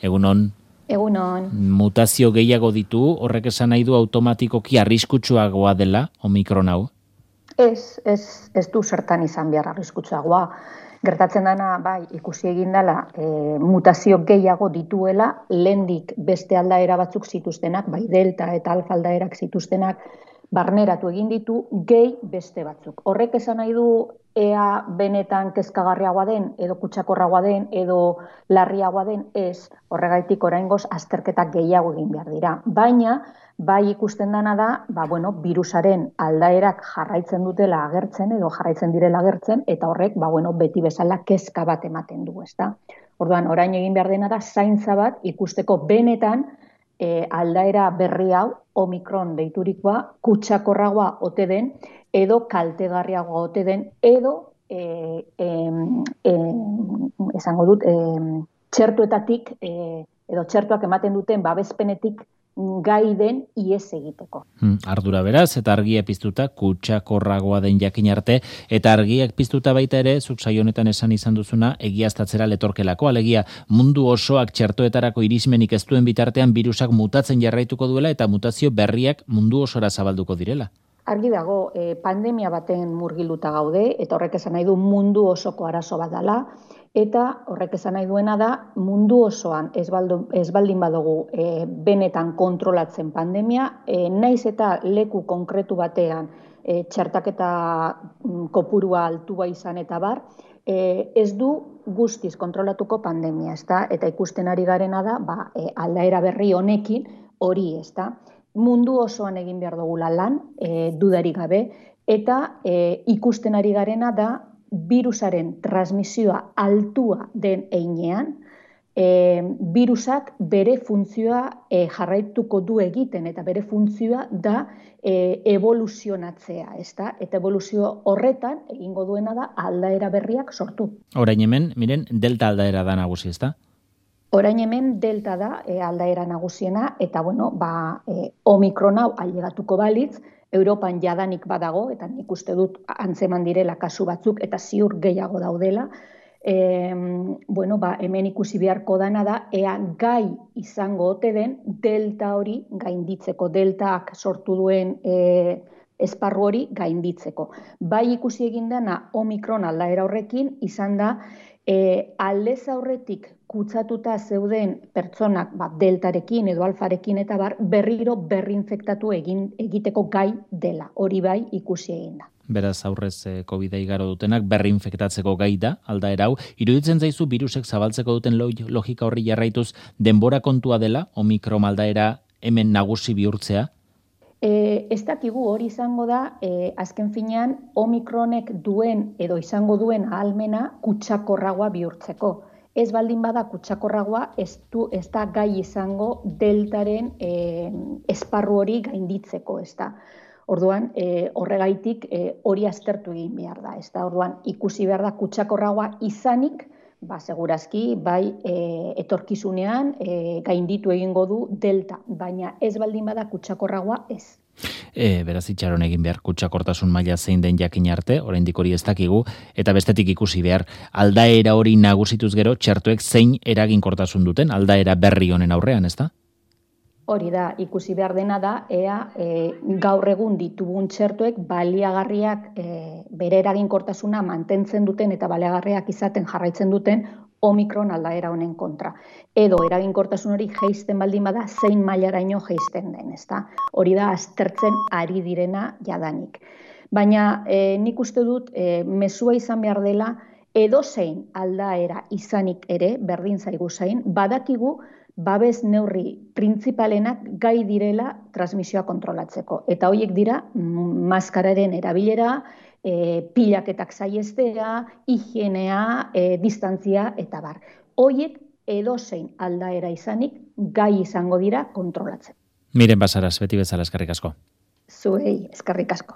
Egunon. Egunon. Mutazio gehiago ditu, horrek esan nahi du automatikoki arriskutsuagoa dela Omikron hau? Ez du zertan izan behar arriskutsuagoa. Gertatzen dena, bai, ikusi egin dela, mutazio gehiago dituela, lehendik beste aldaera batzuk zituztenak, bai, delta eta alfa aldaerak zituztenak, barneratu egin ditu, gehi beste batzuk. Horrek esan nahi du, ea benetan kezkagarriagoa den, edo kutsakorragoa den, edo larriagoa den, ez, horregaitik oraingoz azterketak gehiago egin behar dira. Baina, bai ikusten dena da, virusaren aldaerak jarraitzen dutela agertzen edo jarraitzen direla agertzen, eta horrek, beti bezala kezka bat ematen du, ezta? Orduan, orain egin behar dena da, zaintza bat ikusteko benetan aldaera berri hau, Omikron deiturikoa, kutsakorragoa ote den, edo kaltegarriagoa ote den, edo, esango dut, txertuetatik, edo txertuak ematen duten babespenetik gai den ihes egiteko. Ardura beraz, eta argia piztuta kutsakorragoa den jakin arte, eta argiak piztuta baita ere, zuk saio honetan esan izan duzuna, egiaztatzera letorkelako, alegia mundu osoak txertoetarako irismenik ez duen bitartean virusak mutatzen jarraituko duela eta mutazio berriak mundu osora zabalduko direla. Argi dago, pandemia baten murgilduta gaude, eta horrek esan nahi du mundu osoko arazo bat dela, eta horrek esan nahi duena da mundu osoan ez baldin badugu benetan kontrolatzen pandemia, naiz eta leku konkretu batean txertaketa kopurua altua izan eta bar, ez du guztiz kontrolatuko pandemia, ezta? Eta ikusten ari garena da, aldaera berri honekin hori, ezta? Mundu osoan egin behar dugula lan, dudarik gabe, eta ikusten ari garena da virusaren transmisioa altua den heinean, virusak bere funtzioa jarraituko du egiten, eta bere funtzioa da evoluzionatzea, ezta? Eta evoluzio horretan egingo duena da aldaera berriak sortu. Orain hemen, miren, delta aldaera da nagusi, ezta? Orain hemen delta da aldaera nagusiena, eta Omikron hau ailegatuko balitz, Europan jadanik badago, eta nik uste dut antzeman direla kasu batzuk, eta ziur gehiago daudela. Hemen ikusi beharko dana da, ea gai izango ote den delta hori gainditzeko, deltaak sortu duen esparru hori gainditzeko. Bai ikusi egin dena Omikron aldaera horrekin, izan da, aldez aurretik kutsatuta zeuden pertsonak deltarekin edo alfarekin eta berriro berrinfektatu egiteko gai dela. Hori bai ikusi egin da. Beraz aurrez COVID-a igaro dutenak berrinfektatzeko gai da, aldaera hau. Iruditzen zaizu virusek zabaltzeko duten logika horri jarraituz denbora kontua dela, Omikron aldaera hemen nagusi bihurtzea? Ez dakigu hori izango da, azken finean Omikronek duen edo izango duen ahalmena kutsakorragoa bihurtzeko. Ez baldin bada kutsakorragoa, ez da gai izango deltaren esparru hori gainditzeko, ez da. Orduan, horregaitik hori aztertu egin behar da, ez da. Orduan, ikusi behar da kutsakorragoa izanik, segurazki, bai etorkizunean gainditu egingo du delta, baina ez baldin bada kutsakorragoa ez. Beraz itxaron egin behar kutsakortasun maila zein den jakin arte, oraindik hori ez dakigu, eta bestetik ikusi behar aldaera hori nagusituz gero txertoek zein eraginkortasun duten aldaera berri honen aurrean, ezta? Hori da, ikusi behar dena da, ea gaur egun ditugun txertoek baliagarriak bere eraginkortasuna mantentzen duten eta baliagarriak izaten jarraitzen duten Omikron aldaera honen kontra. Edo eraginkortasun hori jeisten baldin bada zein mailaraino jeisten den, ezta? Hori da aztertzen ari direna jadanik. Baina nik uste dut mezua izan behar dela edozein aldaera izanik ere, berdin zaigu zain, badakigu babes neurri printzipalenak gai direla transmisioa kontrolatzeko. Eta horiek dira maskararen erabilera, pilaketak saihestea, higienea, distantzia eta bar. Horiek edozein aldaera izanik gai izango dira kontrolatzen. Miren Basaras, beti bezala eskerrik asko. Zuei eskerrik asko.